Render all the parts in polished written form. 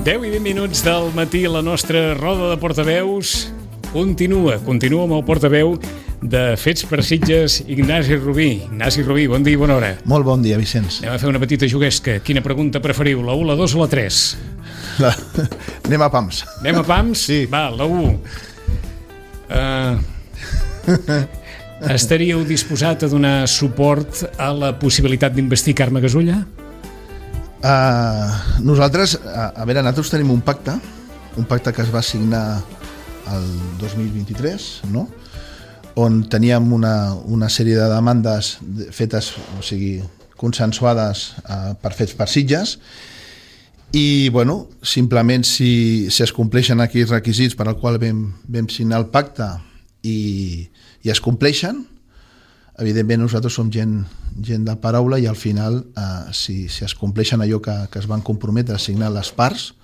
10 i 20 minuts del matí, la nostra roda de portaveus continua amb el portaveu de Fets per Sitges, Ignasi Rubí. Ignasi Rubí, bon dia i bona hora. Molt bon dia, Vicenç. Anem a fer una petita juguesca. Quina pregunta preferiu, la 1, la 2 o la 3? Anem a pams. Anem a pams? Sí. Va, la 1. Estaríeu disposat a donar suport a la possibilitat d'investir Carme Gasulla? Nosaltres tenim un pacte que es va signar el 2023, no? On teníem una sèrie de demandes fetes, o sigui, consensuades per Fets per Sitges, i bueno, simplement si es compleixen aquells requisits per al qual vam signar el pacte i es compleixen, evidentment nosaltres som gent de paraula, i al final si es compleixen allò que es van comprometre a signar les parts,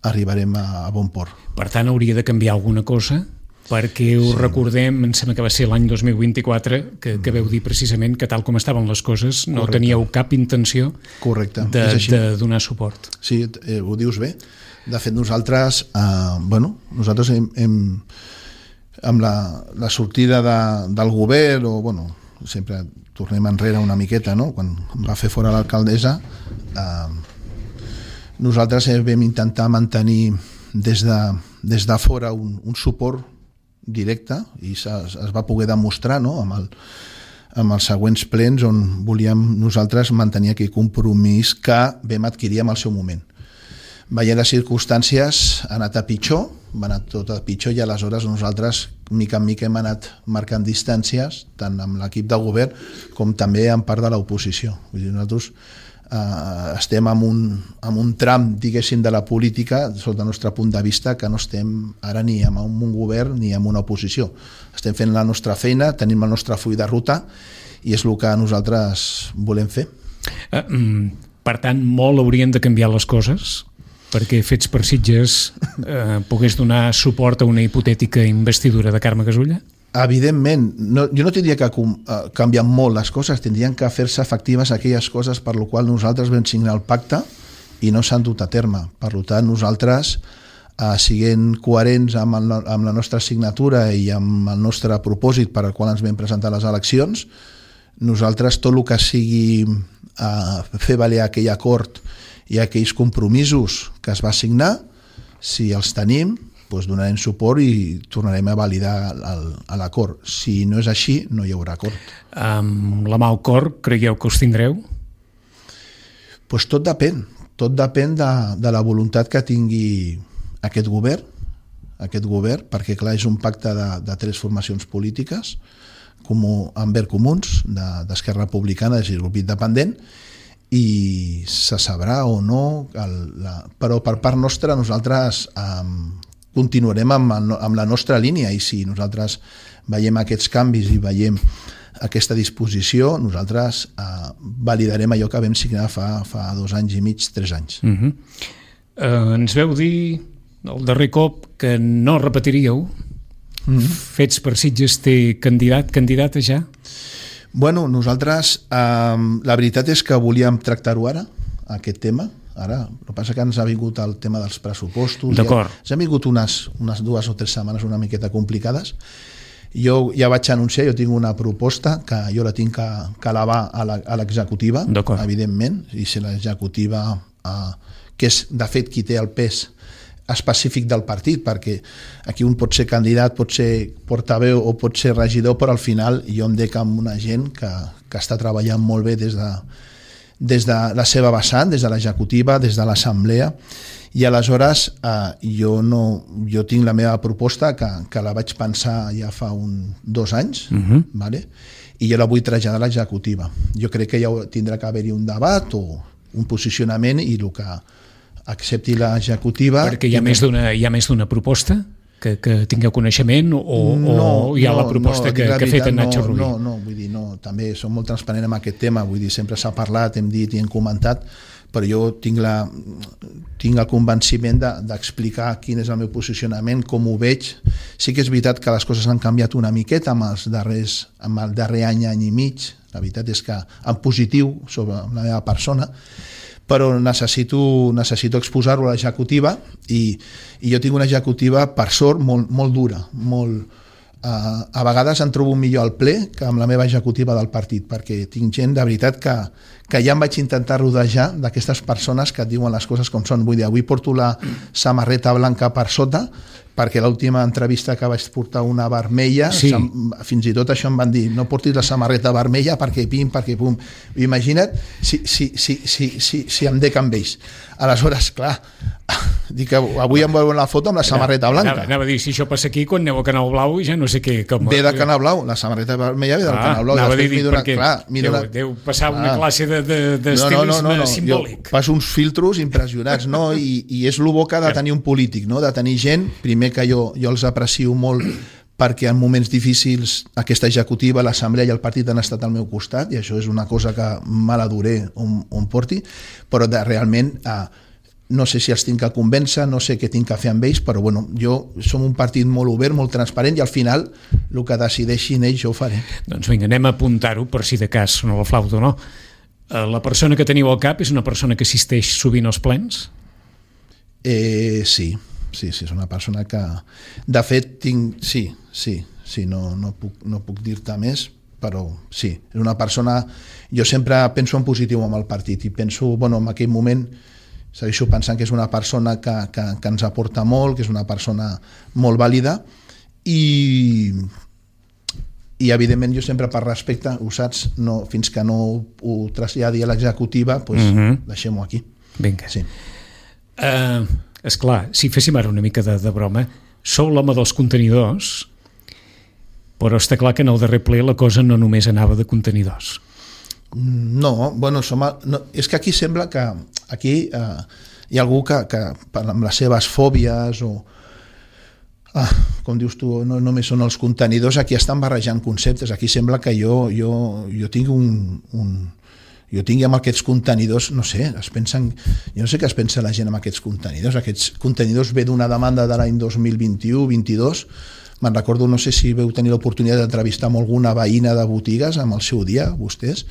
arribarem a bon port. Per tant, hauria de canviar alguna cosa, perquè ho recordem, em sembla que va ser l'any 2024, que veu dir precisament que tal com estaven les coses no teníeu cap intenció de donar suport. Sí, ho dius bé. De fet, nosaltres hem amb la sortida del govern, o bueno, sempre tornem enrere una miqueta, no? Quan va fer fora l'alcaldessa, nosaltres vam intentar mantenir des de fora un suport directe, i es va poder demostrar, no? amb els següents plens, on volíem nosaltres mantenir aquell compromís que vam adquirir en el seu moment. Veient les circumstàncies, ha anat a pitjor, va anar tot a pitjor, i aleshores nosaltres mica en mica hem anat marcant distàncies tant amb l'equip de govern com també en part de l'oposició. Vull dir, nosaltres estem en un tram, diguéssim, de la política, sota el nostre punt de vista, que no estem ara ni en un govern ni en una oposició. Estem fent la nostra feina, tenim el nostre full de ruta, i és el que nosaltres volem fer. Per tant, molt haurien de canviar les coses perquè Fets per Sitges pogués donar suport a una hipotètica investidura de Carme Gasulla? Evidentment, jo no tindria que canviar molt les coses, tindrien que fer-se efectives aquelles coses per les quals nosaltres vam signar el pacte i no s'han dut a terme. Per tant, nosaltres, siguent coherents amb la nostra signatura i amb el nostre propòsit per al qual ens vam presentar a les eleccions, nosaltres tot el que sigui fer valer aquell acord i aquells compromisos que es va signar, si els tenim, doncs donarem suport i tornarem a validar l'acord. Si no és així, no hi haurà acord. Amb la mà al cor, creieu que us tindreu? Doncs tot depèn de la voluntat que tingui aquest govern, perquè clar, és un pacte de 3 formacions polítiques, amb Verds Comuns, d'Esquerra Republicana, és a dir, el grup independent, i se sabrà o no, però per part nostra nosaltres continuarem amb la nostra línia, i si nosaltres veiem aquests canvis i veiem aquesta disposició, nosaltres validarem allò que vam signar fa 2 anys i mig, 3 anys. Ens veu dir el darrer cop que no repetiríeu. Fets per Sitges té candidata ja? Bueno, nosaltres la veritat és que volíem tractar-ho ara, aquest tema. Ara, el que passa que ens ha vingut el tema dels pressupostos. D'acord. Ens han vingut unes 2 o 3 setmanes una miqueta complicades. Jo ja vaig anunciar, jo tinc una proposta que jo la tinc que elevar a l'executiva, evidentment, i si l'executiva, que és de fet qui té el pes específic del partit, perquè aquí un pot ser candidat, pot ser portaveu o pot ser regidor, però al final jo em dec amb una gent que està treballant molt bé des de la seva vessant, des de l'executiva, des de l'assemblea, i aleshores jo tinc la meva proposta que la vaig pensar ja fa 2 anys, i jo la vull traslladar a l'executiva. Jo crec que ja tindrà que haver-hi un debat o un posicionament, i el que accepti l'executiva... Perquè hi ha més d'una proposta que tingueu coneixement, o hi ha la proposta que ha fet en Nacho Rubí? No, vull dir, no, també som molt transparents amb aquest tema, vull dir, sempre s'ha parlat, hem dit i hem comentat, però jo tinc el convenciment d'explicar quin és el meu posicionament, com ho veig. Sí que és veritat que les coses han canviat una miqueta amb el darrer any i mig, la veritat és que en positiu sobre la meva persona, però necessito exposar-ho a l'executiva i jo tinc una executiva, per sort, molt dura, a vegades em trobo millor al ple que amb la meva executiva del partit, perquè tinc gent de veritat que ja em vaig intentar rodejar d'aquestes persones que et diuen les coses com són. Vull dir, avui porto la samarreta blanca per sota, perquè l'última entrevista que vaig portar una vermella, fins i tot això em van dir, no portis la samarreta vermella perquè pim, perquè pum. Imagina't si em dec amb ells. Aleshores, clar, dic que avui em veuen la foto amb la samarreta blanca. Anava a dir, si això passa aquí, quan aneu a Canal Blau ja no sé què... Ve de Canal Blau, la samarreta vermella ve del Canal Blau. Anava a dir, perquè deu passar una classe d'estilisme simbòlic. Jo passo uns filtros impressionants, no? I és el bo que ha de tenir un polític, no? De tenir gent, primer que jo els aprecio molt, perquè en moments difícils aquesta executiva, l'assemblea i el partit han estat al meu costat, i això és una cosa que me l'adoré on porti, però realment no sé si els tinc que convèncer, no sé què tinc que fer amb ells, però bueno, som un partit molt obert, molt transparent, i al final el que decideixin ells jo ho faré. Doncs vinga, anem a apuntar-ho per si de cas no la flauta o no. La persona que teniu al cap és una persona que assisteix sovint als plens? Sí, és una persona que... De fet, no puc dir-te més, però sí, és una persona... Jo sempre penso en positiu amb el partit i penso, en aquell moment segueixo pensant que és una persona que ens aporta molt, que és una persona molt vàlida i evidentment jo sempre per respecte, ho saps, fins que no ho traslladi a l'executiva, deixem-ho aquí. Vinga. Sí. Esclar, si féssim ara una mica de broma, sou l'home dels contenidors, però està clar que en el darrer ple la cosa no només anava de contenidors. No, és que aquí sembla que aquí hi ha algú que amb les seves fòbies o com dius tu, no només són els contenidors, aquí estan barrejant conceptes. Aquí sembla que jo tinc jo tingui amb aquests contenidors, no sé, jo no sé què es pensa la gent amb aquests contenidors ve d'una demanda de l'any 2021-22, me'n recordo, no sé si veu tenir l'oportunitat d'entrevistar amb alguna veïna de botigues amb el seu dia, vostès,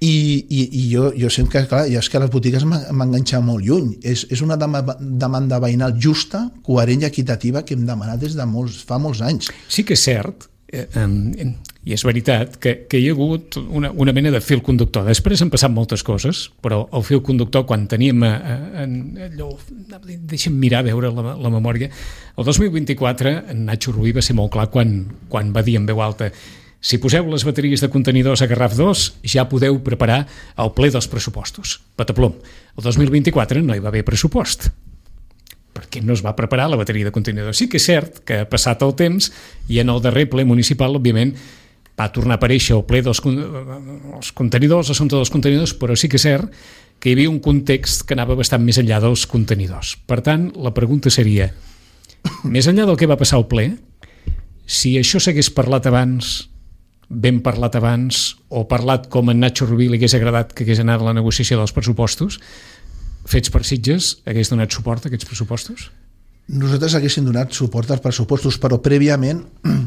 i jo sempre, clar, és que les botigues m'enganxen molt lluny, és una demanda veïnal justa, coherent i equitativa que hem demanat des de fa molts anys. Sí que és cert, i és veritat que hi ha hagut una mena de fil conductor. Després han passat moltes coses, però el fil conductor, quan teníem allò, deixa'm mirar, veure la memòria, el 2024 en Nacho Rubí va ser molt clar quan va dir en veu alta: si poseu les bateries de contenidors a Garraf 2 ja podeu preparar el ple dels pressupostos. Pataplom. El 2024 no hi va haver pressupost, perquè no es va preparar la bateria de contenidors. Sí que és cert que ha passat el temps i en el darrer ple municipal, òbviament, va tornar a aparèixer el ple dels contenidors, l'assumpte dels contenidors, però sí que és cert que hi havia un context que anava bastant més enllà dels contenidors. Per tant, la pregunta seria, més enllà del que va passar al ple, si això s'hagués parlat abans, ben parlat abans, o parlat com en Nacho Rubí li hagués agradat que hagués anat a la negociació dels pressupostos, fets per Sitges, hagués donat suport a aquests pressupostos? Nosaltres haguéssim donat suport als pressupostos, però prèviament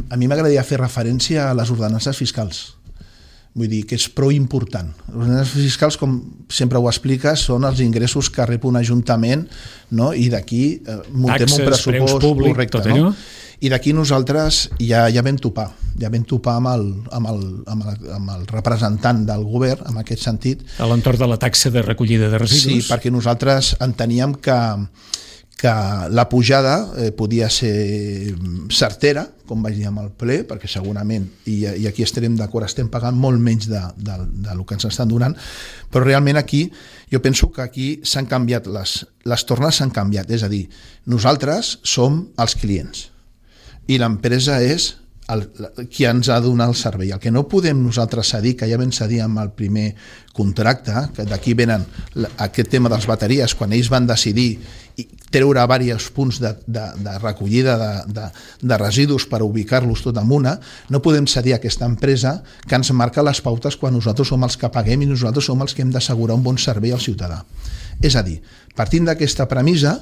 a mi m'agradaria fer referència a les ordenances fiscals. Vull dir que és prou important. Les ordenances fiscals, com sempre ho expliques, són els ingressos que rep un ajuntament, no? I d'aquí muntem un pressupost públic, correcte. Tot allò. No? I d'aquí nosaltres ja vam topar amb el representant del govern, en aquest sentit. A l'entorn de la taxa de recollida de residus? Sí, perquè nosaltres enteníem que la pujada podia ser certera, com vaig dir amb el ple, perquè segurament, i aquí estarem d'acord, estem pagant molt menys del que ens estan donant, però realment aquí, jo penso que aquí s'han canviat, les tornes s'han canviat, és a dir, nosaltres som els clients, i l'empresa és qui ens ha de donar el servei. El que no podem nosaltres cedir, que ja vam cedir amb el primer contracte, que d'aquí venen aquest tema de les bateries, quan ells van decidir treure diversos punts de recollida de residus per ubicar-los tot en una, no podem cedir a aquesta empresa que ens marca les pautes quan nosaltres som els que paguem i nosaltres som els que hem d'assegurar un bon servei al ciutadà. És a dir, partint d'aquesta premissa,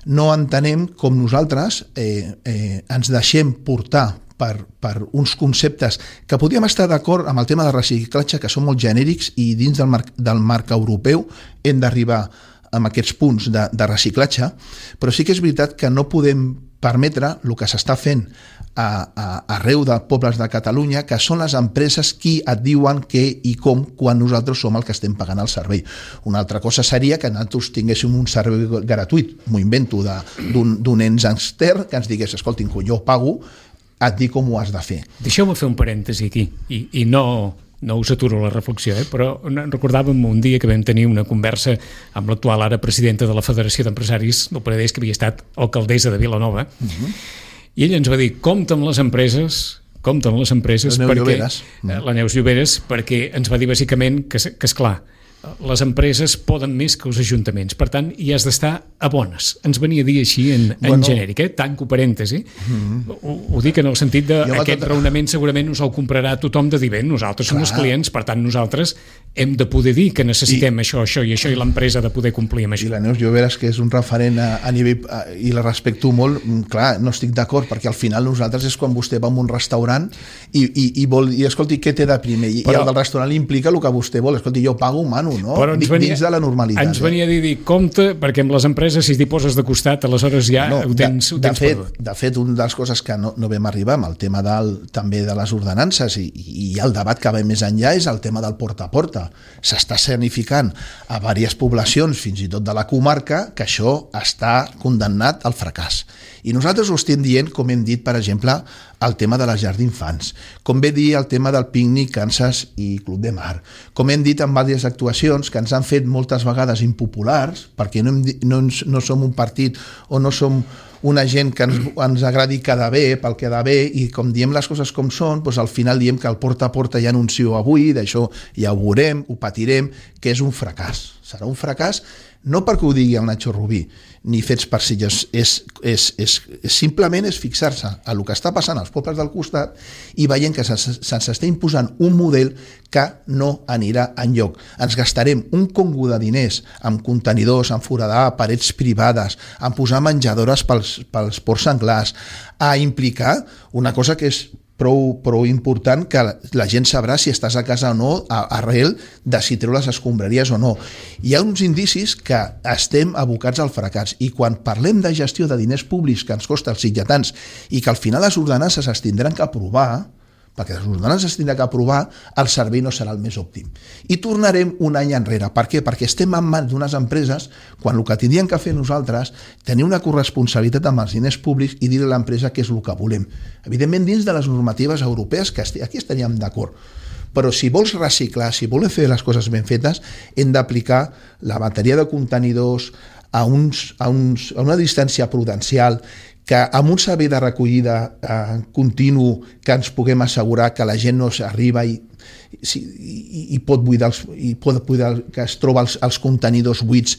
no entenem com nosaltres ens deixem portar per uns conceptes que podríem estar d'acord amb el tema de reciclatge, que són molt genèrics, i dins del marc europeu hem d'arribar amb aquests punts de reciclatge, però sí que és veritat que no podem permetre el que s'està fent arreu de pobles de Catalunya, que són les empreses qui et diuen què i com quan nosaltres som el que estem pagant el servei. Una altra cosa seria que nosaltres tinguéssim un servei gratuït, m'ho invento, d'un ens extern que ens digués, escoltin, que jo pago, et dic com ho has de fer. Deixeu-me fer un parèntesi aquí, i no us aturo la reflexió, però recordàvem un dia que vam tenir una conversa amb l'actual ara presidenta de la Federació d'Empresaris del Penedès, que havia estat alcaldessa de Vilanova, i ella ens va dir, compte amb les empreses, la Neus Lloberes, perquè ens va dir bàsicament que esclar, les empreses poden més que els ajuntaments, per tant hi has d'estar a bones. Ens venia a dir així en genèric, tanco parèntesi. Ho dic en el sentit d'aquest raonament segurament us el comprarà tothom de dir, bé, nosaltres som els clients, per tant nosaltres hem de poder dir que necessitem això i això, i l'empresa ha de poder complir amb això. I la Neus Lloberes, que és un referent a nivell, i la respecto molt, clar, no estic d'acord, perquè al final nosaltres és quan vostè va a un restaurant i vol, i escolti, què té de primer? I el del restaurant li implica el que vostè vol. Escolti, jo pago, mano, no? Dins de la normalitat. Ens venia a dir, compte, perquè amb les empreses, si t'hi poses de costat, aleshores ja ho tens perdut. De fet, una de les coses que no vam arribar amb el tema també de les ordenances i el debat que va més enllà és el tema del porta a porta. S'està escenificant a diverses poblacions, fins i tot de la comarca, que això està condemnat al fracàs. I nosaltres ho estem dient, com hem dit, per exemple, el tema de les llars d'infants, com ve dir el tema del pícnic Kansas i Club de Mar, com hem dit en diverses actuacions que ens han fet moltes vegades impopulars, perquè no som un partit o no som una gent que ens agradi quedar bé pel quedar bé, i com diem les coses com són, doncs al final diem que el porta a porta ja anuncio avui, d'això ja ho veurem, ho patirem, que és un fracàs. Serà un fracàs no perquè ho digui el Nacho Rubí, ni fets per si simplement és fixar-se a el que està passant als pobles del costat i veient que se'ns està imposant un model que no anirà enlloc. Ens gastarem un congo de diners amb contenidors, en foradar parets privades, en posar menjadores pels ports senglars, a implicar una cosa que és prou important, que la gent sabrà si estàs a casa o no arrel de si treu les escombraries o no. Hi ha uns indicis que estem abocats al fracàs, i quan parlem de gestió de diners públics que ens costa els sitjatans i que al final les ordenances es tindran que aprovar, perquè les ordenances es tindran que aprovar, el servei no serà el més òptim. I tornarem un any enrere. Per què? Perquè estem en mans d'unes empreses quan el que tindríem que fer nosaltres, tenir una corresponsabilitat amb els diners públics i dir a l'empresa què és el que volem. Evidentment, dins de les normatives europees, que aquí estaríem d'acord. Però si vols reciclar, si vols fer les coses ben fetes, hem d'aplicar la bateria de contenidors a una distància prudencial, que amb un servei de recollida continu que ens puguem assegurar que la gent no s'arriba i pot buidar, que es troba els contenidors buits.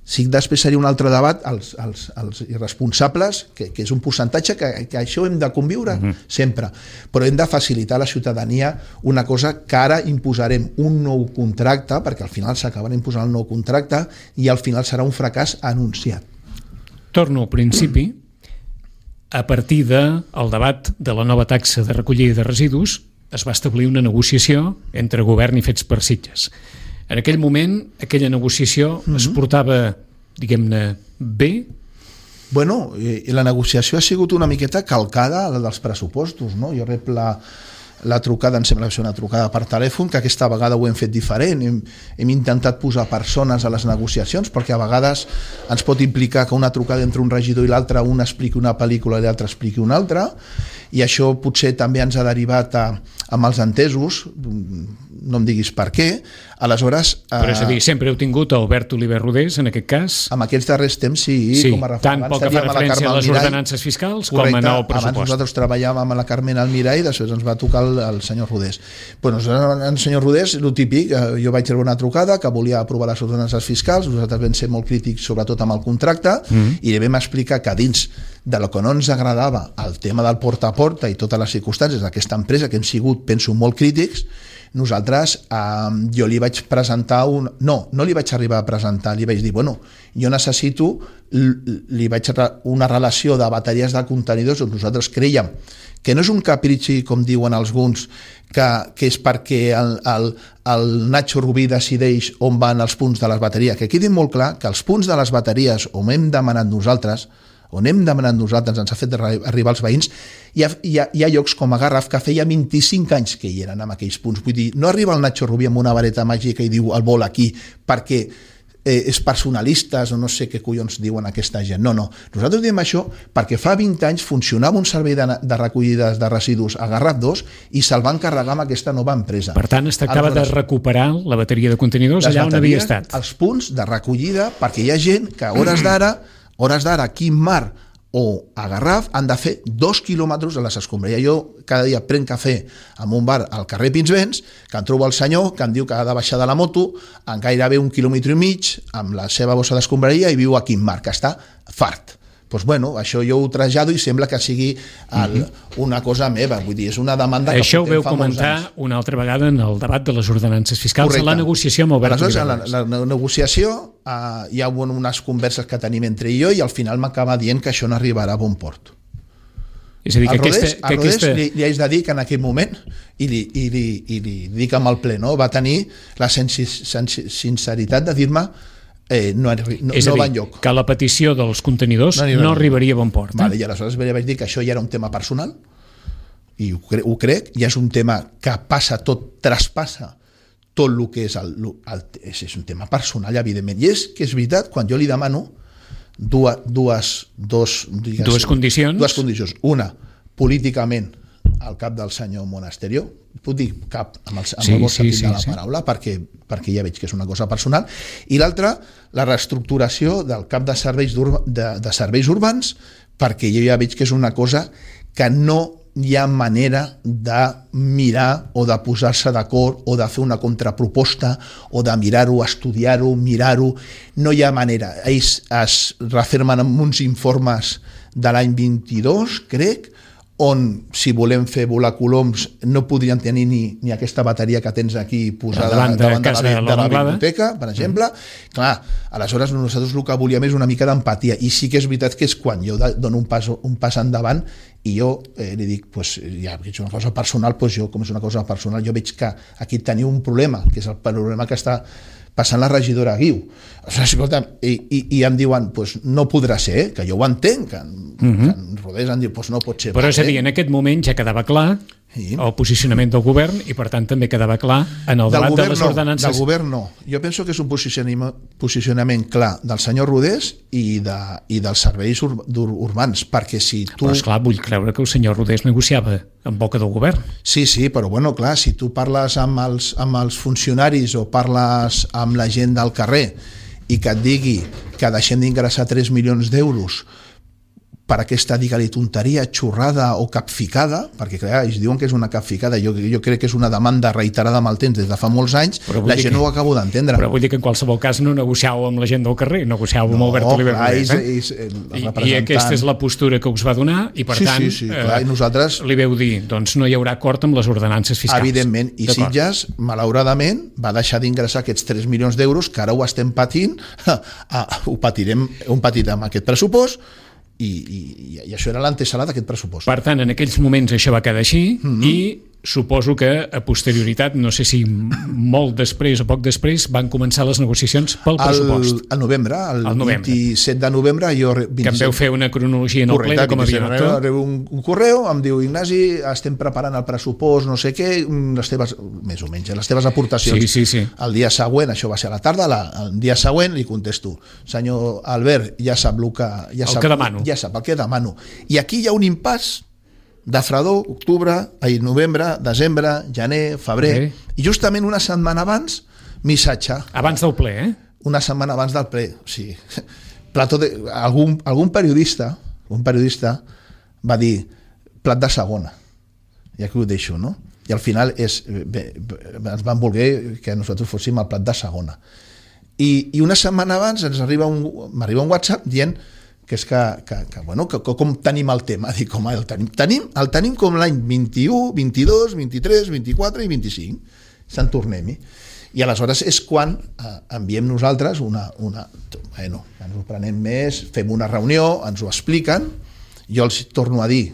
Sí, després seria un altre debat, els irresponsables, que és un percentatge que això hem de conviure sempre, però hem de facilitar a la ciutadania una cosa que ara imposarem un nou contracte, perquè al final s'acabarà imposant el nou contracte i al final serà un fracàs anunciat. Torno al principi. A partir del debat de la nova taxa de recollida de residus es va establir una negociació entre govern i Fets per Sitges. En aquell moment, aquella negociació es portava, diguem-ne, bé? Bueno, la negociació ha sigut una miqueta calcada a la dels pressupostos, no? Jo rep la trucada, em sembla que és una trucada per telèfon, que aquesta vegada ho hem fet diferent. Hem intentat posar persones a les negociacions, perquè a vegades ens pot implicar que una trucada entre un regidor i l'altre, un expliqui una pel·lícula i l'altre expliqui una altra, i això potser també ens ha derivat amb els entesos, no em diguis per què. Aleshores... Però és a dir, sempre heu tingut Albert Oliver Rodés, en aquest cas? En aquests darrers temps, sí. Com a tant pel que fa referència a les ordenances fiscals com en el pressupost. Abans nosaltres treballàvem amb la Carmen Almirall, després ens va tocar el senyor Rodés. Bueno, el senyor Rodés, el típic, jo vaig rebre una trucada que volia aprovar les ordenances fiscals, nosaltres vam ser molt crítics sobretot amb el contracte, i li vam explicar que dins de lo que no ens agradava el tema del porta a porta i totes les circumstàncies d'aquesta empresa, que hem sigut, penso, molt crítics, nosaltres, jo li vaig presentar no li vaig arribar a presentar, li vaig dir, bueno, jo necessito una relació de bateries de contenidors on nosaltres creiem que no és un capritxi, com diuen alguns, que és perquè el Nacho Rubí decideix on van els punts de les bateries, que quedi molt clar que els punts de les bateries on hem demanat nosaltres, ens ha fet arribar els veïns, hi ha llocs com a Garraf que feia 25 anys que hi eren en aquells punts. Vull dir, no arriba el Nacho Rubí amb una vareta màgica i diu el vol aquí perquè és personalistes o no sé què collons diuen aquesta gent. No. Nosaltres diem això perquè fa 20 anys funcionava un servei de recollida de residus a Garraf 2 i se'l van carregar amb aquesta nova empresa. Per tant, es tractava de recuperar la bateria de contenidors allà on havia estat. Els punts de recollida, perquè hi ha gent que a hores d'ara aquí en Mar o a Garraf han de fer 2 quilòmetres a les escombraries. Jo cada dia prenc cafè en un bar al carrer Pinsbens, que em trobo el senyor que em diu que ha de baixar de la moto en gairebé 1,5 quilòmetres amb la seva bossa d'escombraria i viu aquí en Mar, que està fart. Doncs bueno, això jo ho trasllado i sembla que sigui una cosa meva, vull dir, és una demanda que això ho veu comentar una altra vegada en el debat de les ordenances fiscals. Correcte. A la negociació amb Albert Oliveres. La negociació hi ha unes converses que tenim entre jo i al final m'acaba dient que això no arribarà a bon port. És a dir, que Rodés li haig de dir que en aquell moment i li dic amb el ple, no? Va tenir la sinceritat de dir-me no va enlloc. Que la petició dels contenidors no arribaria a bon port. Vale, i aleshores vaig dir que això ja era un tema personal i ho crec, ja és un tema que traspassa tot el que és un tema personal, evidentment. I és que és veritat, quan jo li demano dues condicions. Una, políticament, al cap del senyor Monasterio, puc dir cap amb el bon sentit de la paraula, perquè ja veig que és una cosa personal, i l'altra, la reestructuració del cap de serveis urbans, perquè jo ja veig que és una cosa que no hi ha manera de mirar o de posar-se d'acord o de fer una contraproposta o de mirar-ho, estudiar-ho, mirar-ho. No hi ha manera. Ells es refermen en uns informes de l'any 22, crec, on, si volem fer volar coloms, no podrien tenir ni aquesta bateria que tens aquí posada davant de la biblioteca, per exemple. Clar, aleshores nosaltres el que volíem és una mica d'empatia, i sí que és veritat que és quan jo dono un pas endavant i jo li dic, ja que és una cosa personal, jo, com és una cosa personal, jo veig que aquí teniu un problema, que és el problema que està passant la regidora Guiu. I em diuen, no podrà ser, que jo ho entenc, que en Rodés em diu, no pot ser. Però és a dir, en aquest moment ja quedava clar el posicionament del govern i per tant també quedava clar en el debat de les ordenances. Del govern no. Jo penso que és un posicionament clar del senyor Rodés i dels serveis urbans, perquè si tu... Però esclar, vull creure que el senyor Rodés negociava en boca del govern. Sí, però bueno, clar, si tu parles amb els funcionaris o parles amb la gent del carrer i que et digui que deixem d'ingressar 3 milions d'euros per aquesta, digue-li, tonteria, xorrada o capficada, perquè clar, ells diuen que és una capficada, jo crec que és una demanda reiterada amb el temps des de fa molts anys, la gent no ho acabo d'entendre. Però vull dir que en qualsevol cas no negociàveu amb la gent del carrer, negociàveu amb Albert Oliveres. I aquesta és la postura que us va donar i per tant i nosaltres li veu dir, doncs no hi haurà acord amb les ordenances fiscals. Evidentment, i Sitges, malauradament, va deixar d'ingressar aquests 3 milions d'euros que ara ho estem patint, ho patirem amb aquest pressupost, i això era l'antesala d'aquest pressupost. Per tant, en aquells moments això va quedar així i suposo que a posterioritat, no sé si molt després o poc després, van començar les negociacions pel pressupost. Al novembre, el 27 de novembre, que em veu fer una cronologia en el ple de com havia anat tot. Rebo un correu, em diu, Ignasi, estem preparant el pressupost, no sé què, més o menys, les teves aportacions. Sí. El dia següent, això va ser a la tarda, el dia següent li contesto, senyor Albert, ja sap el que demano. Ja sap el que demano. I aquí hi ha un impàs de fredor, novembre, desembre, gener, febrer, i justament una setmana abans, missatge. Abans del ple, Una setmana abans del ple, sí. Algun periodista va dir plat de segona, i aquí ho deixo, no? I al final ens van voler que nosaltres fóssim el plat de segona. I una setmana abans m'arriba un WhatsApp dient que és que com tenim el tema. Dic, el tenim com l'any 21, 22, 23, 24 i 25. se'n tornem-hi. I aleshores és quan enviem nosaltres bueno, ens ho prenem més, fem una reunió, ens ho expliquen, jo els torno a dir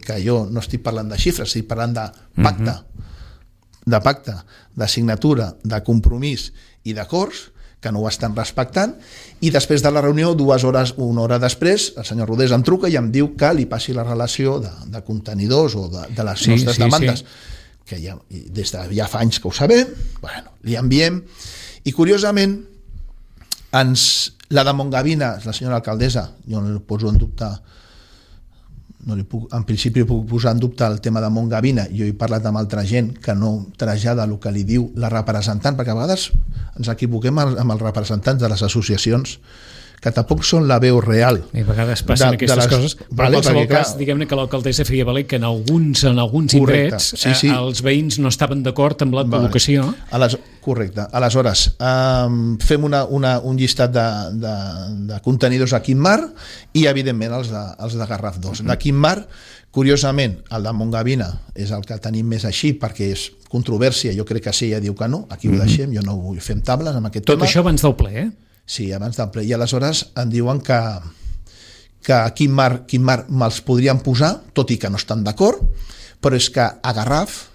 que jo no estic parlant de xifres, estic parlant de pacte, de signatura, de compromís i d'acords, que no ho estan respectant, i després de la reunió, 2 hores, 1 hora després, el senyor Rodés em truca i em diu que li passi la relació de contenidors o de les nostres demandes, que des de ja fa anys que ho sabem, bueno, li enviem, i curiosament la de Montgavina, la senyora alcaldessa, jo no li poso en dubte, en principi puc posar en dubte el tema de Montgavina, jo he parlat amb altra gent que no trasllada el que li diu la representant, perquè a vegades ens equivoquem amb els representants de les associacions, que tampoc són la veu real. I a vegades passen aquestes coses, però en qualsevol cas, diguem-ne que l'alcaldessa feia valer que en alguns indrets els veïns no estaven d'acord amb la col·locació. Correcte. Aleshores, fem un llistat de contenidors a Quimar i, evidentment, els de Garraf 2. De Quimar, curiosament, el de Montgavina és el que tenim més així, perquè és controvèrsia, jo crec que sí, ella diu que no, aquí ho deixem, jo no vull fer tables amb aquest tema. Tot això abans del ple, Sí, abans del ple. I aleshores em diuen que a Quimar me'ls podrien posar, tot i que no estan d'acord, però és que a Garraf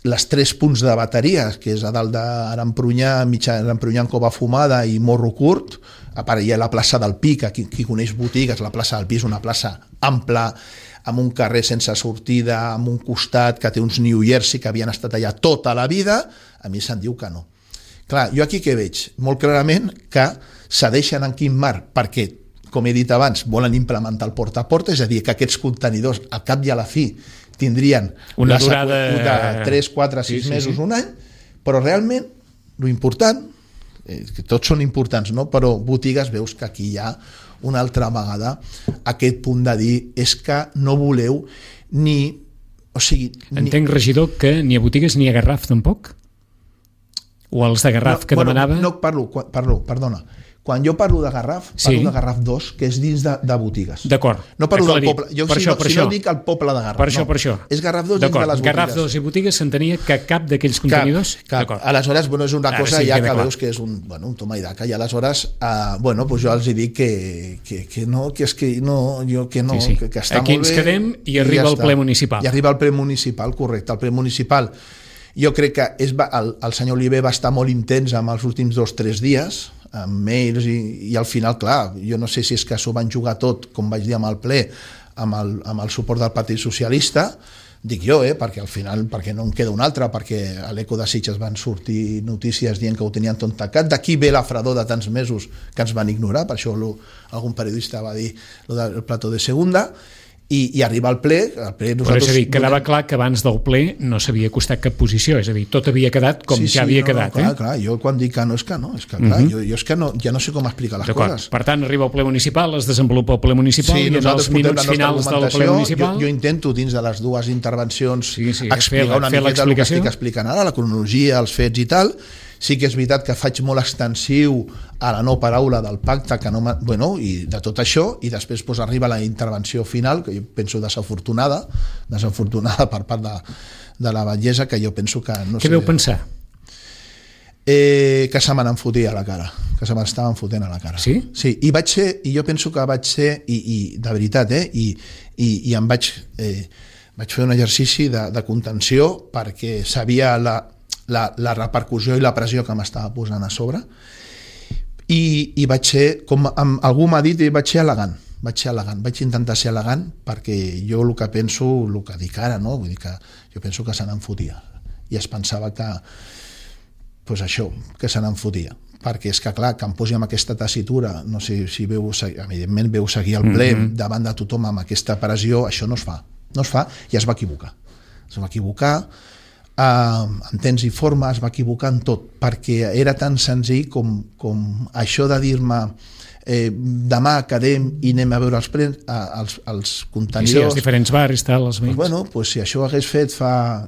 les 3 punts de bateria, que és a dalt d'Aremprunyà, Aremprunyà en Cova Fumada i Morro Curt, a part hi ha la plaça del Pi, que qui coneix botigues, la plaça del Pi és una plaça ampla, amb un carrer sense sortida, amb un costat que té uns New Jersey que havien estat allà tota la vida, a mi se'n diu que no. Clar, jo aquí què veig? Molt clarament que cedeixen en Quimar perquè, com he dit abans, volen implementar el porta a porta, és a dir, que aquests contenidors al cap i a la fi tindrien una durada de 3, 4, 6 mesos, un any, però realment l'important, que tots són importants, no? Però botigues veus que aquí hi ha una altra vegada aquest punt de dir és que no voleu ni... Entenc, regidor, que ni a botigues ni a Garraf tampoc? O els de Garraf que demanava? No, perdona. Quan jo parlo de Garraf, parlo de Garraf 2, que és dins de botigues. D'acord. No parlo del poble. Jo si no dic el poble de Garraf. Per això. És Garraf 2 dins de les botigues. Garraf 2 i botigues s'entenia que cap d'aquells contenidors? Cap. Aleshores, és una cosa ja que veus que és un toma i daca, i aleshores, jo els dic que no, que és que no, jo que no, que està molt bé. Aquí ens quedem i arriba el ple municipal. I arriba el ple municipal, correcte. El ple municipal, jo crec que el senyor Oliver va estar molt intens amb els últims 2 o 3 dies, amb mails, i al final, clar, jo no sé si és que s'ho van jugar tot, com vaig dir amb el ple, amb el suport del Partit Socialista, dic jo, perquè al final, perquè no en queda un altre, perquè a l'Eco de Sitges van sortir notícies dient que ho tenien tot tancat, d'aquí ve la fredor de tants mesos que ens van ignorar, per això algun periodista va dir el plató de segunda, i arriba al ple, però és a dir, quedava clar que abans del ple no s'havia acostat cap posició, és a dir, tot havia quedat com ja havia quedat. Clar, jo quan dic que no és que no, és que clar, jo és que ja no sé com explicar les coses. Per tant, arriba el ple municipal, es desenvolupa el ple municipal, i en els minuts finals del ple municipal... Jo intento, dins de les 2 intervencions, explicar una miqueta el que estic explicant ara, la cronologia, els fets i tal. Sí que és veritat que faig molt extensiu a la no paraula del pacte, i de tot això, i després arriba la intervenció final, que jo penso desafortunada per part de la batllessa, que jo penso que... Què veu pensar? Que se me n'enfotia a la cara, que se m'estaven fotent a la cara. Sí? Sí, i jo penso que vaig ser, i de veritat, i em vaig fer un exercici de contenció, perquè sabia la repercussió i la pressió que m'estava posant a sobre, i vaig ser, com algú m'ha dit, vaig ser elegant, vaig intentar ser elegant, perquè jo el que penso, el que dic ara, no? Vull dir que jo penso que se n'enfotia, i es pensava que que se n'enfotia, perquè és que clar, que em posi amb aquesta tessitura, no sé si evidentment veu seguir el ple davant de tothom amb aquesta pressió, això no es fa, i es va equivocar, en temps i forma, es va equivocar en tot, perquè era tan senzill com això de dir-me demà quedem i anem a veure els contenidors. Sí, els diferents barris, tal, els veïns. Bueno, pues si això ho hagués fet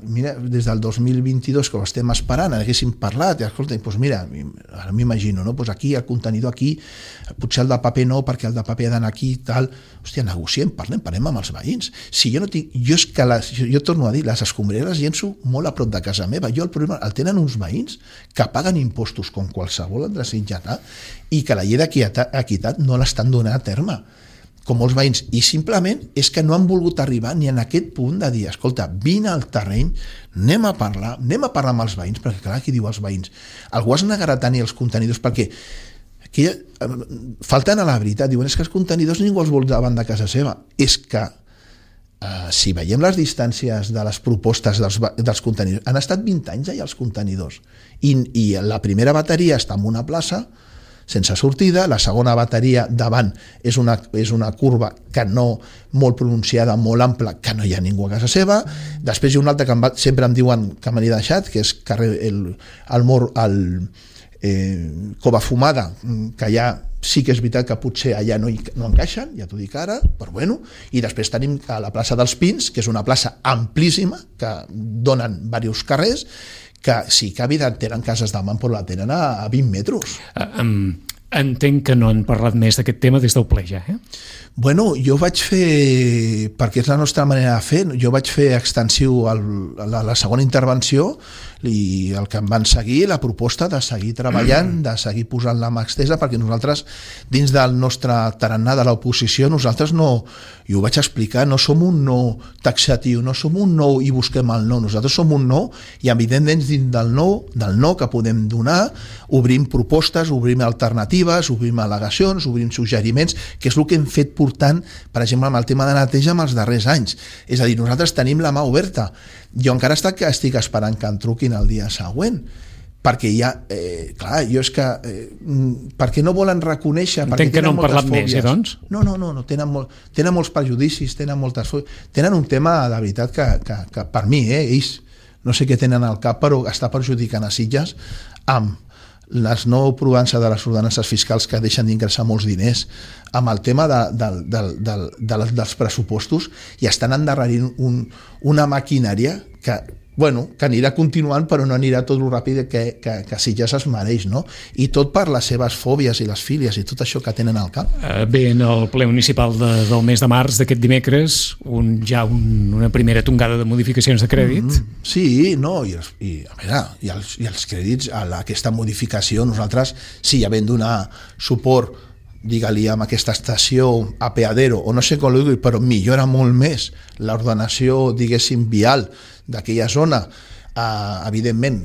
mira, des del 2022, que ho estem esperant, haguéssim parlat, i escolta, pues mira, ara m'imagino, no? Pues aquí, el contenidor aquí, potser el de paper no, perquè el de paper ha d'anar aquí i tal. Hòstia, negociem, parlem amb els veïns. Si jo no tinc... Jo torno a dir, les escombraries llenço molt a prop de casa meva. Jo el problema el tenen uns veïns que paguen impostos com qualsevol altre sitjatà i que la llei d'equitat no l'estan donant a terme, com molts veïns, i simplement és que no han volgut arribar ni en aquest punt de dir, escolta, vine al terreny, anem a parlar amb els veïns, perquè clar, aquí diu els veïns, algú es negarà a tenir els contenidors, perquè aquí, faltant a la veritat, diuen, és que els contenidors ningú els vol davant de casa seva. És que si veiem les distàncies de les propostes dels contenidors, han estat 20 anys ja els contenidors, i la primera bateria està en una plaça sense sortida, la segona bateria davant és una curva que no molt pronunciada, molt ampla, que no hi ha ningú a casa seva. Després hi ha una altra que sempre em diuen que me n'he deixat, que és carrer Cova Fumada, que ja sí que és veritat que potser allà no encaixen, ja t'ho dic ara, però bueno. I després tenim a la plaça dels Pins, que és una plaça amplíssima, que donen diversos carrers, que sí que evident tenen cases de man, però la tenen a 20 metres. Entenc que no han parlat més d'aquest tema des del ple ja, Bueno, jo vaig fer, perquè és la nostra manera de fer, jo vaig fer extensiu la segona intervenció i el que em van seguir, la proposta de seguir treballant, de seguir posant la mà estesa, perquè nosaltres, dins del nostre tarannà de l'oposició, nosaltres no, i ho vaig explicar, no som un no taxatiu, no som un no i busquem el no, nosaltres som un no, i evidentment dins del no que podem donar, obrim propostes, obrim alternatives, obrim al·legacions, obrim suggeriments, que és el que hem fet portant, per exemple, amb el tema de neteja amb els darrers anys. És a dir, nosaltres tenim la mà oberta. Jo encara estic esperant que em truquin el dia següent, perquè ja, clar, jo és que perquè no volen reconèixer, entenc que no han parlat més, doncs? No, tenen molts prejudicis, tenen un tema de veritat que per mi, ells no sé què tenen al cap, però està perjudicant a Sitges amb les no aprovances de les ordenances fiscals que deixen d'ingressar molts diners, amb el tema dels pressupostos, i estan endarrerint una maquinària que anirà continuant, però no anirà tot el ràpid que Sitges es mereix, no? I tot per les seves fòbies i les fílies i tot això que tenen al cap. Bé, en el ple municipal del mes de març d'aquest dimecres, una primera tongada de modificacions de crèdit. Sí, no, i els crèdits a aquesta modificació, nosaltres sí ja vam donar suport, digue-li, amb aquesta estació apeadero, o no sé com ho dic, però millora molt més l'ordenació, diguéssim, vial d'aquella zona. Evidentment,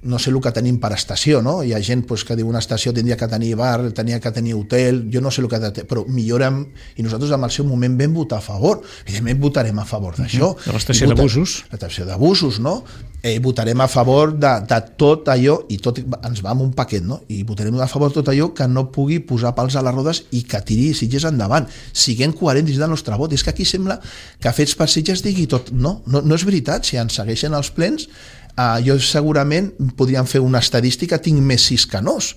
no sé el que tenim per estació, no? Hi ha gent que diu una estació tindria que tenir bar, tenia que tenir hotel, jo no sé el que però millorem, i nosaltres en el seu moment vam votar a favor. Evidentment votarem a favor d'això. De l'estació d'abusos. L'estació d'abusos, no? Votarem a favor de tot allò, i tot ens va amb un paquet, no? I votarem a favor de tot allò que no pugui posar pals a les rodes i que tiri Sitges endavant. Siguem coherents dins del nostre vot. És que aquí sembla que Fets per Sitges digui tot. No és veritat. Si ens segueixen els plens, jo segurament podríem fer una estadística, tinc més 6 que nos,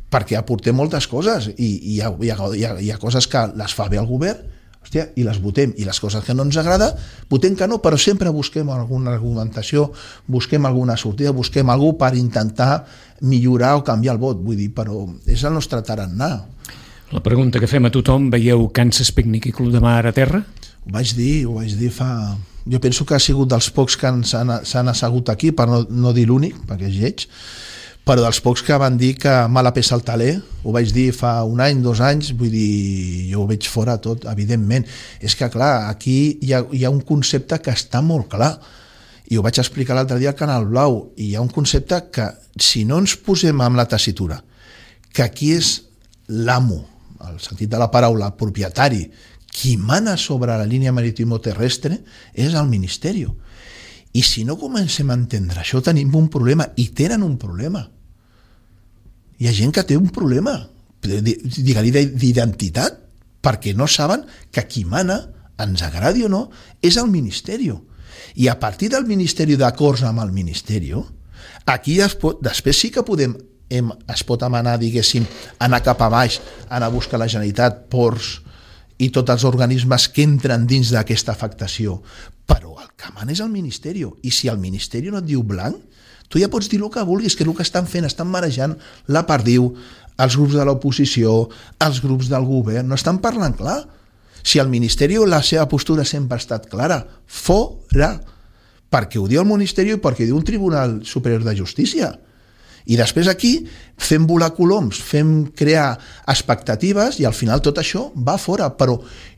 perquè aportem moltes coses, i hi ha coses que les fa bé el govern, hòstia, i les votem, i les coses que no ens agrada votem que no, però sempre busquem alguna argumentació, busquem alguna sortida, busquem algú per intentar millorar o canviar el vot, vull dir, però és el nostre tarannà. La pregunta que fem a tothom: veieu Kansas Picnic i Club de Mar a terra? Ho vaig dir fa... Jo penso que ha sigut dels pocs que s'han assegut aquí, per no dir l'únic, perquè és lleig, però dels pocs que van dir que mala peça al taler, ho vaig dir fa un any, 2 anys, vull dir, jo ho veig fora tot, evidentment. És que, clar, aquí hi ha un concepte que està molt clar, i ho vaig explicar l'altre dia al Canal Blau, i hi ha un concepte que, si no ens posem amb la tessitura, que aquí és l'amo, el sentit de la paraula, propietari, qui mana sobre la línia maritimo-terrestre és el Ministeri. I si no comencem a entendre això, tenim un problema, i tenen un problema. Hi ha gent que té un problema, digue-li, d'identitat, perquè no saben que qui mana, ens agradi o no, és el Ministeri. I a partir del Ministeri, d'acords amb el Ministeri, aquí després sí que podem es pot anar, diguéssim, anar cap a baix, anar a buscar la Generalitat, ports i tots els organismes que entren dins d'aquesta afectació. Però el que mana és el Ministeri, i si el Ministeri no et diu blanc, tu ja pots dir el que vulguis, que el que estan fent, estan marejant la perdiu, els grups de l'oposició, els grups del govern, no estan parlant clar. Si el Ministeri, la seva postura sempre ha estat clara, fora, perquè ho diu el Ministeri i perquè ho diu un Tribunal Superior de Justícia. I després aquí fem volar coloms, fem crear expectatives i al final tot això va fora. Però,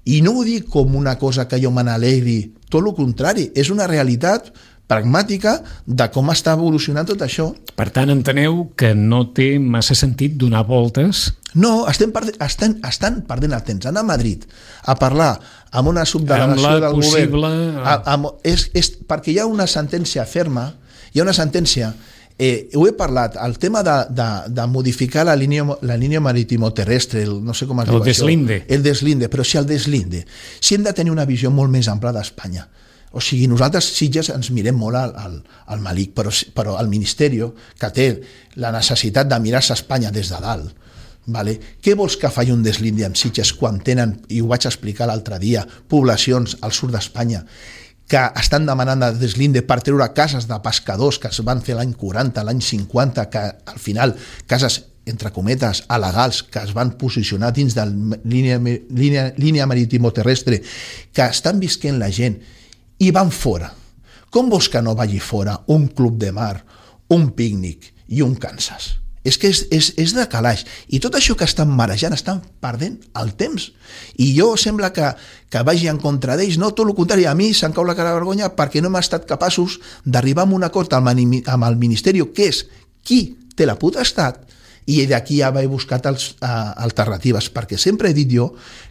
i no ho dic com una cosa que jo me n'alegri, tot el contrari, és una realitat pragmàtica de com està evolucionant tot això. Per tant, enteneu que no té massa sentit donar voltes? No, estan perdent el temps. Anar a Madrid a parlar amb una subdelegació del govern perquè hi ha una sentència ferma, hi ha una sentència. Ho he parlat, el tema de modificar la línia marítimo-terrestre, no sé com es diu això. El deslinde, però si el deslinde, si hem de tenir una visió molt més ampla d'Espanya. O sigui, nosaltres Sitges ens mirem molt al Malic, però el Ministeri, que té la necessitat de mirar-se Espanya des de dalt, vale? Què vols que faci un deslinde amb Sitges quan tenen, i ho vaig explicar l'altre dia, poblacions al sud d'Espanya que estan demanant de deslinde per treure cases de pescadors que es van fer l'any 40, l'any 50, que al final cases, entre cometes, alegals, que es van posicionar dins de la línia marítimo-terrestre, que estan visquent la gent i van fora. Com vols que no vagi fora un club de mar, un pícnic i un Kansas? És que és de calaix. I tot això que estan marejant, estan perdent el temps. I jo sembla que vagi en contra d'ells. No, tot el contrari, a mi se'm cau la cara de vergonya perquè no hem estat capaços d'arribar a un acord amb el Ministeri, que és qui té la potestat, i d'aquí ja vaig buscar alternatives, perquè sempre he dit jo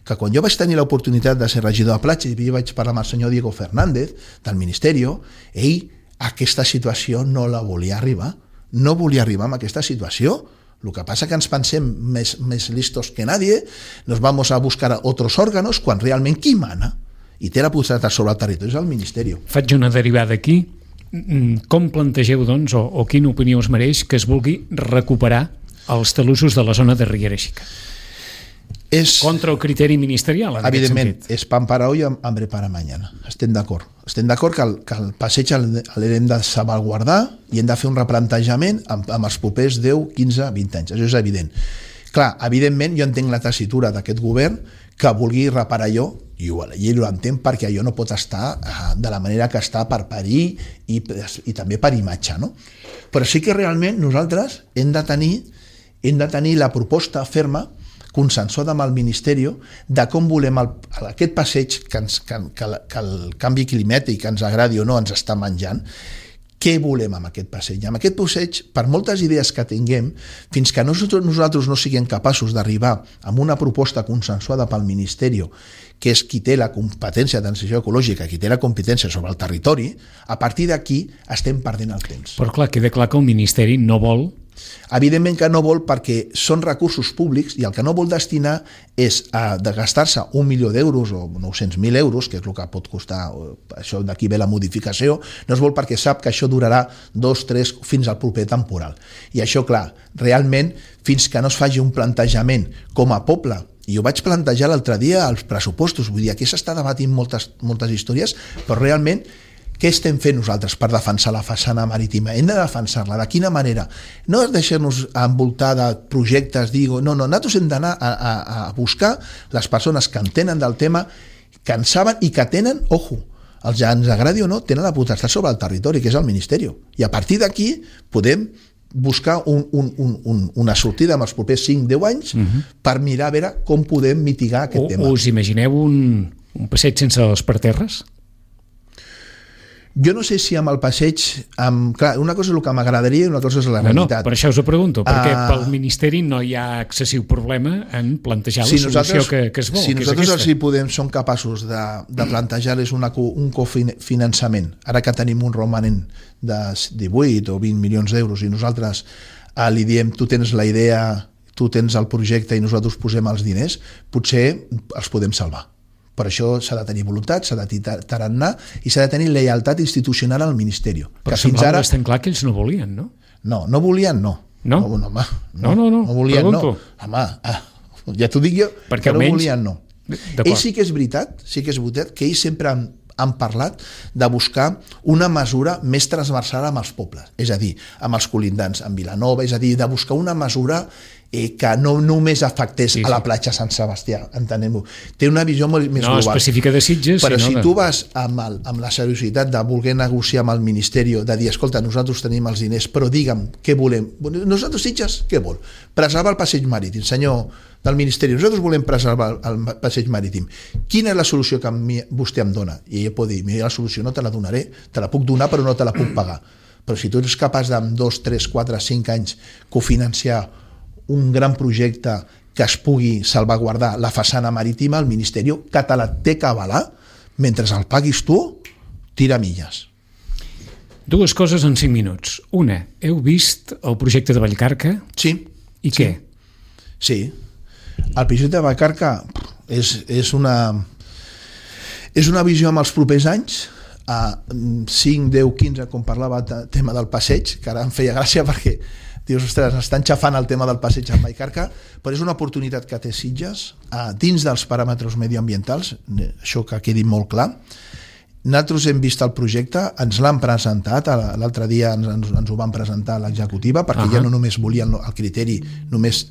que quan jo vaig tenir l'oportunitat de ser regidor de platja i vaig parlar amb el senyor Diego Fernández del Ministeri, ell aquesta situació no la volia arribar. No volia arribar a aquesta situació. El que passa que ens pensem més listos que nadie, nos vamos a buscar otros órganos, quan realment qui mana i té la potestat sobre el territori és el Ministeri. Faig una derivada aquí. Com plantegeu, doncs, o quina opinió us mereix que es vulgui recuperar els talussos de la zona de Riera Xica? Contra el criteri ministerial, en aquest sentit. Evidentment, és pan para hoy, hambre para mañana. Estem d'acord. Estem d'acord que el passeig l'hem de salvaguardar i hem de fer un replantejament amb els propers 10, 15, 20 anys. Això és evident. Clar, evidentment, jo entenc la tessitura d'aquest govern que vulgui reparar allò, i ho entenc perquè allò no pot estar de la manera que està per parir i també per imatge, no? Però sí que realment nosaltres hem de tenir la proposta ferma consensuada amb el Ministeri de com volem aquest passeig que el canvi climàtic, que ens agradi o no, ens està menjant. Què volem amb aquest passeig? Amb aquest passeig, per moltes idees que tinguem, fins que nosaltres no siguem capaços d'arribar amb una proposta consensuada pel Ministeri, que és qui té la competència de transició ecològica, qui té la competència sobre el territori, a partir d'aquí estem perdent el temps. Però clar, queda clar que el Ministeri no vol. Evidentment que no vol, perquè són recursos públics i el que no vol destinar és de gastar-se 1 milió d'euros o 900.000 euros, que és el que pot costar, això d'aquí ve la modificació, no es vol perquè sap que això durarà 2, 3, fins al proper temporal. I això, clar, realment, fins que no es faci un plantejament com a poble, i ho vaig plantejar l'altre dia als pressupostos, vull dir, aquí s'està debatint moltes històries, però realment què estem fent nosaltres per defensar la façana marítima? Hem de defensar-la. De quina manera? No és deixar-nos envoltar de projectes, no, nosaltres hem d'anar a buscar les persones que entenen del tema, que en saben i que tenen, els ja ens agradi o no, tenen la potestat sobre el territori, que és el Ministeri. I a partir d'aquí podem buscar una sortida en els propers 5-10 anys per mirar a veure com podem mitigar aquest tema. Us imagineu un passeig sense els parterres? Jo no sé si amb el passeig... Clar, una cosa és el que m'agradaria i una cosa és la realitat. No, per això us ho pregunto, perquè pel Ministeri no hi ha excessiu problema en plantejar la solució que es vol. Si nosaltres som capaços de plantejar-les un cofinançament, ara que tenim un romanent de 18 o 20 milions d'euros i nosaltres li diem tu tens la idea, tu tens el projecte i nosaltres posem els diners, potser els podem salvar. Per això s'ha de tenir voluntat, s'ha de tenir tarannà i s'ha de tenir lleialtat institucional al Ministeri. Però semblava bastant clar que ells no volien, no? No volien, no. No? Home, no volien, pregunto. no. Home, ja t'ho dic jo, perquè que no almenys... volien, no. Ells sí que és veritat que ells sempre han parlat de buscar una mesura més transversal amb els pobles, és a dir, amb els colindants, amb Vilanova, és a dir, de buscar una mesura que no només afectés a la platja Sant Sebastià, entenem-ho. Té una visió molt més global. No específica de Sitges, però si tu vas amb la seriositat de voler negociar amb el Ministeri, de dir, escolta, nosaltres tenim els diners, però digue'm què volem. Nosaltres, Sitges, què vol? Preservar el passeig marítim, senyor del Ministeri, nosaltres volem preservar el passeig marítim. Quina és la solució que vostè em dona? I ella pot dir, mira, la solució no te la donaré, te la puc donar però no te la puc pagar. Però si tu ets capaç d'en 2, 3, 4, 5 anys cofinanciar un gran projecte que es pugui salvaguardar la façana marítima, el Ministeri que te la té que avalar, mentre el paguis tu, tira milles. Dues coses en 5 minuts. Una, heu vist el projecte de Vallcarca? Sí. I què? Sí. El projecte de Vallcarca és una visió amb els propers anys, a 5, 10, 15, com parlava del tema del passeig, que ara em feia gràcia perquè dius, ostres, estan xafant el tema del passeig amb Vallcarca, però és una oportunitat que té Sitges dins dels paràmetres mediambientals, això que quedi molt clar. Nosaltres hem vist el projecte, ens l'han presentat, l'altre dia ens ho van presentar a l'executiva, perquè ja no només volien el criteri només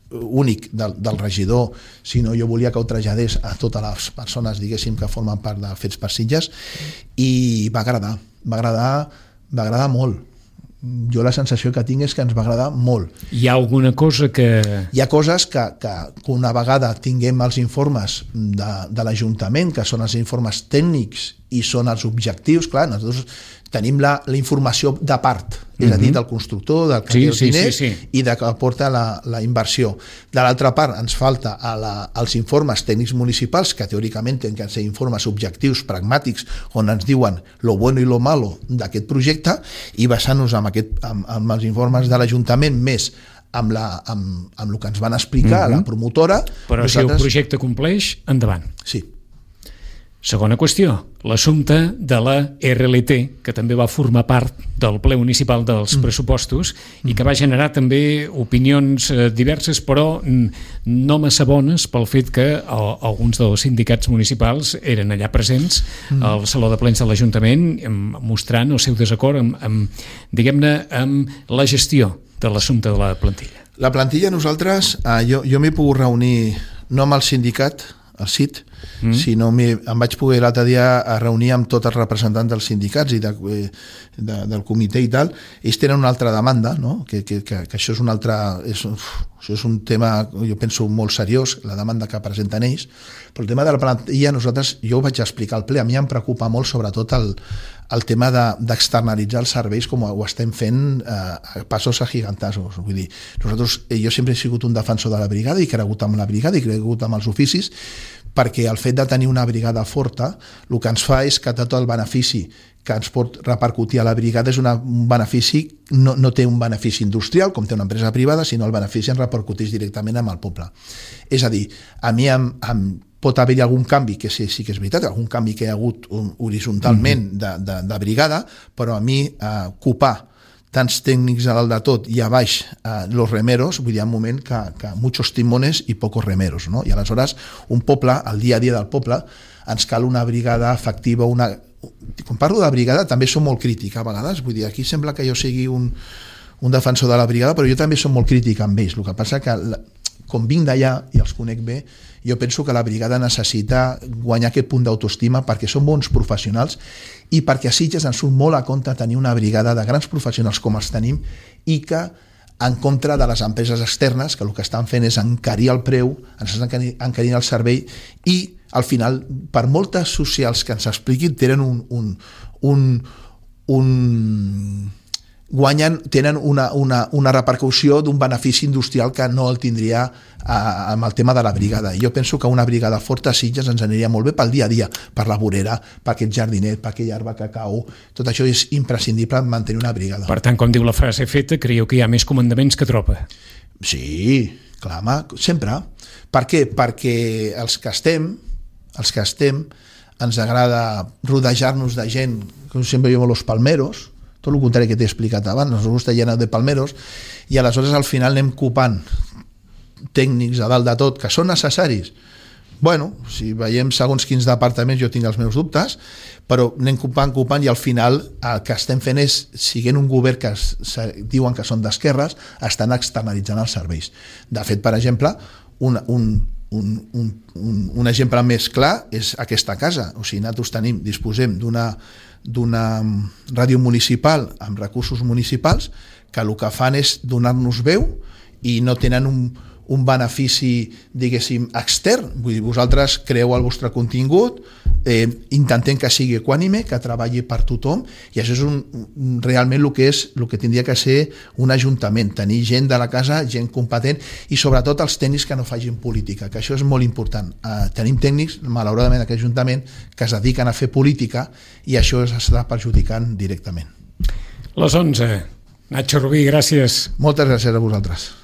únic del regidor, sinó jo volia que ho traslladés a totes les persones, diguéssim, que formen part de Fets per Sitges, i va agradar molt. Jo la sensació que tinc és que ens va agradar molt. Hi ha alguna cosa que... Hi ha coses que una vegada tinguem els informes de l'Ajuntament, que són els informes tècnics i són els objectius, clar, nosaltres tenim la informació de part, és a dir, del constructor, del que té els diners i de que aporta la inversió. De l'altra part, ens falta els informes tècnics municipals, que teòricament tenen que ser informes objectius, pragmàtics, on ens diuen lo bueno i lo malo d'aquest projecte, i basant-nos amb els informes de l'Ajuntament més amb el que ens van explicar a la promotora. Però si el projecte compleix, endavant. Sí. Segona qüestió, l'assumpte de la RLT, que també va formar part del ple municipal dels pressupostos i que va generar també opinions diverses, però no massa bones pel fet que alguns dels sindicats municipals eren allà presents al Saló de Plens de l'Ajuntament mostrant el seu desacord diguem-ne, amb la gestió de l'assumpte de la plantilla. La plantilla, nosaltres, jo m'he pogut reunir no amb el sindicat, el CIT, sinó em vaig poder l'altre dia a reunir amb tots els representants dels sindicats i del comitè i tal. Ells tenen una altra demanda, no? que això és un altre... Això és un tema, jo penso, molt seriós, la demanda que presenten ells, però el tema de la plantilla, jo ho vaig explicar al ple, a mi em preocupa molt sobretot el tema d'externalitzar els serveis com ho estem fent a passos agigantasos. Vull dir, jo sempre he sigut un defensor de la brigada i he cregut en la brigada i he cregut en els oficis, perquè el fet de tenir una brigada forta el que ens fa és que tot el benefici que ens pot repercutir a la brigada és un benefici, no té un benefici industrial com té una empresa privada, sinó el benefici ens repercuteix directament amb el poble. És a dir, a mi pot haver-hi algun canvi, que sí que és veritat, algun canvi que hi ha hagut horitzontalment de brigada, però a mi ocupar tants tècnics a dalt de tot i a baix los remeros, vull dir, un moment que muchos timones i pocos remeros, no? I aleshores un poble, el dia a dia del poble, ens cal una brigada efectiva, quan parlo de brigada també som molt crític a vegades, vull dir, aquí sembla que jo sigui un defensor de la brigada, però jo també som molt crític amb ells, el que passa que com vinc d'allà i els conec bé, jo penso que la brigada necessita guanyar aquest punt d'autoestima perquè són bons professionals i perquè a Sitges ens surt molt a compte tenir una brigada de grans professionals com els tenim i que en contra de les empreses externes que el que estan fent és encarir el preu, ens estan encarint el servei i al final, per moltes socials que ens expliquin, tenen una repercussió d'un benefici industrial que no el tindria amb el tema de la brigada. Jo penso que una brigada forta a Sitges ens aniria molt bé pel dia a dia, per la vorera, per aquest jardinet, per aquella arbre que cau. Tot això és imprescindible mantenir una brigada. Per tant, com diu la frase feta, creieu que hi ha més comandaments que tropa? Sí, clar, sempre. Per què? Perquè els que estem ens agrada rodejar-nos de gent, com sempre diuen los palmeros, tot el contrari que t'he explicat abans, nos gusta llenar de palmeros, i aleshores al final anem copant tècnics a dalt de tot, que són necessaris. Bueno, si veiem segons quins departaments jo tinc els meus dubtes, però anem copant i al final el que estem fent és, siguent un govern que diuen que són d'esquerres, estan externalitzant els serveis. De fet, per exemple, un exemple més clar és aquesta casa. O sigui, nosaltres disposem d'una ràdio municipal amb recursos municipals que el que fan és donar-nos veu i no tenen un benefici, diguéssim, extern. Vull dir, vosaltres creeu el vostre contingut, intentem que sigui equànime, que treballi per tothom, i això és realment el que tindria que ser un ajuntament, tenir gent de la casa, gent competent, i sobretot els tècnics que no facin política, que això és molt important. Tenim tècnics, malauradament, en aquest ajuntament, que es dediquen a fer política, i això s'està perjudicant directament. Les 11. Nacho Rubí, gràcies. Moltes gràcies a vosaltres.